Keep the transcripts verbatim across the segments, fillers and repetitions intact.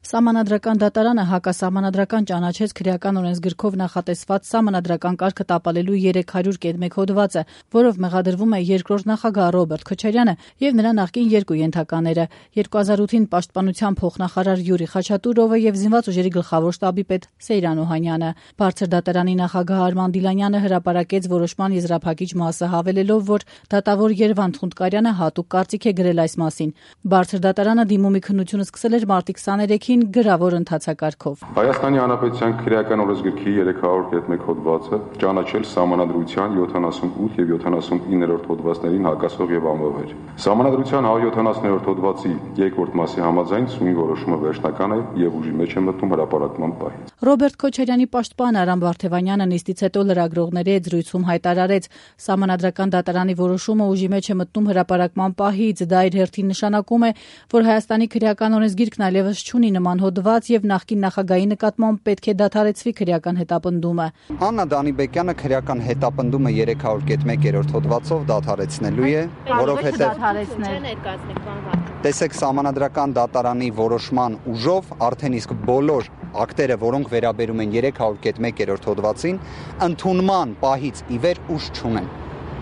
Սահմանադրական դատարանը հակասահմանադրական ճանաչեց քրեական օրենսգրքով նախատեսված սահմանադրական կարգը տապալելու երեք հարյուր կետ մեկ հոդվածը, որով մեղադրվում է երկրորդ նախագահ Ռոբերտ Քոչարյանը եւ նրա նախկին երկու ենթակաները՝ երկու հազար ութին պաշտպանության փոխնախարար Յուրի Խաչատուրովը եւ զինված ուժերի գլխավոր շտաբի պետ Սեյրան Օհանյանը։ Բարձր դատարանի նախագահ Արման Դիլանյանը հրապարակեց որոշման եզրափակիչ մասը, հավելելով, որ դատավոր Երվանդ Խունդկարյանը հատուկ կարծիք է գրել այս մասին։ Բարձր դատարանը դիմումի քննությունը սկսել էր մարտի քսաներեքին գրավոր ընթացակարգով։ Հայաստանի Հանրապետության քրեական օրենսգրքի երեք հարյուր կետ մեկ հոդվածը ճանաչել Սահմանադրության յոթանասունութ եւ յոթանասունիններորդ հոդվածներին հակասող եւ անվավեր։ Սահմանադրության հարյուր յոթանասուններորդ հոդվածի երկրորդ մասի համաձայն սույն որոշումը վերջնական է եւ ուժի մեջ է մտնում հրապարակման պահից։ Ռոբերտ Քոչարյանի պաշտպան Արամ Վարդևանյանը նիստից հետո լրագրողների հետ զրույցում հայտարարեց, Սահմանադրական դատարանի որոշումը ուժի մեջ է մտնում հրապարակման պահից, դա իր հերթին նշանակում է, որ Հայաստանի քրեական օրենսգիրքն այլևս չունի նման հոդված եւ նախկին նախագահի նկատմամբ պետք է դադարեցվի քրեական հետապնդումը։ Աննա Դանիբեկյանը քրեական հետապնդումը երեք հարյուր կետ մեկերորդ հոդվածով դադարեցնելու է, որովհետեւ տեսեք Սահմանադրական դատարանի որոշման ուժով արդեն իսկ բոլոր ակտերը, որոնք վերաբերում են երեք հարյուր կետ մեկերորդ հոդվածին, ընդունման պահից ի վեր ուժ չունեն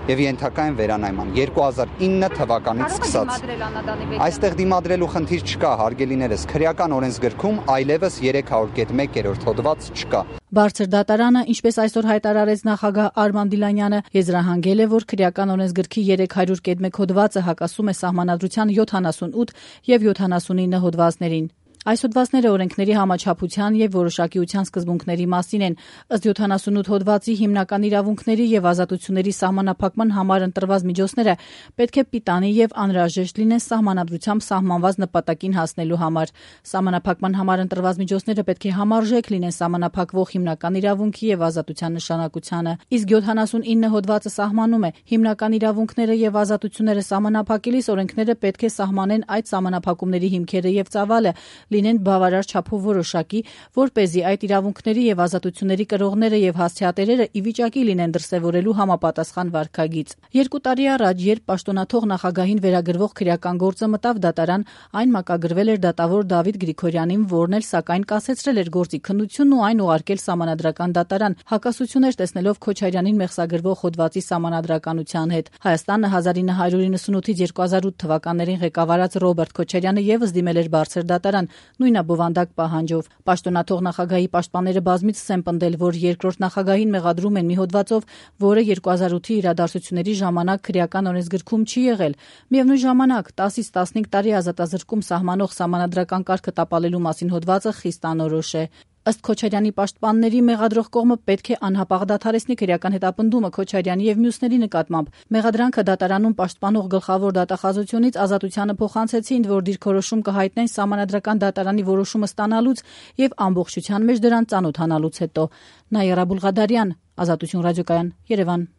եւ ենթակա են վերանայման երկու հազար ինը թվականից սկսած։ Այստեղ դիմադրելու խնդիր չկա, հարգելիներս, քրեական օրենսգրքում այլևս երեք հարյուր կետ մեկերորդ հոդված չկա։ Բարձր դատարանը, ինչպես այսօր հայտարարեց նախագահ Արման Դիլանյանը, եզրահանգել է, որ քրեական օրենսգրքի երեք հարյուր կետ մեկ հոդվածը հակասում է Սահմանադրության յոթանասունութ եւ յոթանասունինը հոդվածներին։ Այս հոդվածները օրենքների համաչափության եւ որոշակիության սկզբունքների մասին են։ Ըստ յոթանասունութ հոդվածի հիմնական իրավունքների եւ ազատությունների սահմանափակման համար ընտրված միջոցները պետք է պիտանի եւ անհրաժեշտ լինեն սահմանադրությամբ սահմանված նպատակին հասնելու համար։ Սահմանափակման համար ընտրված միջոցները պետք է համարժեք լինեն սահմանափակվող հիմնական իրավունքի եւ ազատության նշանակությանը։ Իսկ յոթանասունինը հոդվածը սահմանում է հիմնական իրավունքները եւ ազատությունները սահմանափակելիս օրենքները պետք է սահմանեն այդ սահմանափակումների հիմքերը եւ ծավալը, լինեն բավարար չափով որոշակի, որպեսզի այդ իրավունքների եւ ազատությունների կրողները եւ հասցեատերերը ի վիճակի լինեն դրսեւորելու համապատասխան վարքագիծ։ Երկու տարի առաջ, երբ պաշտոնաթող նախագահին վերագրվող քրեական գործը մտավ դատարան, այն մակագրվել էր դատավոր Դավիթ Գրիգորյանին, որն էլ սակայն կասեցրել էր գործի քննությունն ու այն ուղարկել Սահմանադրական դատարան, հակասություններ տեսնելով Քոչարյանին մեղսագրվող հոդվածի սահմանադրականության հետ։ Հայաստանը հազար ինը հարյուր իննսունութից երկու հազար ութ թվականներին ղեկավարած Ռոբերտ Քոչարյանը եւս դիմել էր բարձր դատարան, նույնաբովանդակ պահանջով։ Պաշտոնաթող նախագահի պաշտպանները բազմիցս են պնդել, որ երկրորդ նախագահին մեղադրում են մի հոդվածով, որը երկու հազար ութի իրադարձությունների ժամանակ քրեական օրենսգրքում չի եղել։ Միևնույն ժամանակ տասից տասնհինգ տարի ազատազրկում սահմանող սահմանադրական կարգը տապալելու մասին հոդվածը խիստ անորոշ է։ Ըստ Քոչարյանի պաշտպանների մեղադրող կողմը պետք է անհապաղ դադարեցնի քրեական հետապնդումը Քոչարյանի եւ մյուսների նկատմամբ։ Մեղադրանքը դատարանում պաշտպանող գլխավոր դատախազությունից ազատությանը փոխանցեցին, որ դիրքորոշում կհայտնեն Սահմանադրական դատարանի որոշումը ստանալուց եւ ամբողջության մեջ դրան ծանոթանալուց հետո։ Նաիրա Բուլղադարյան, Ազատություն ռադիոկայան, Երևան։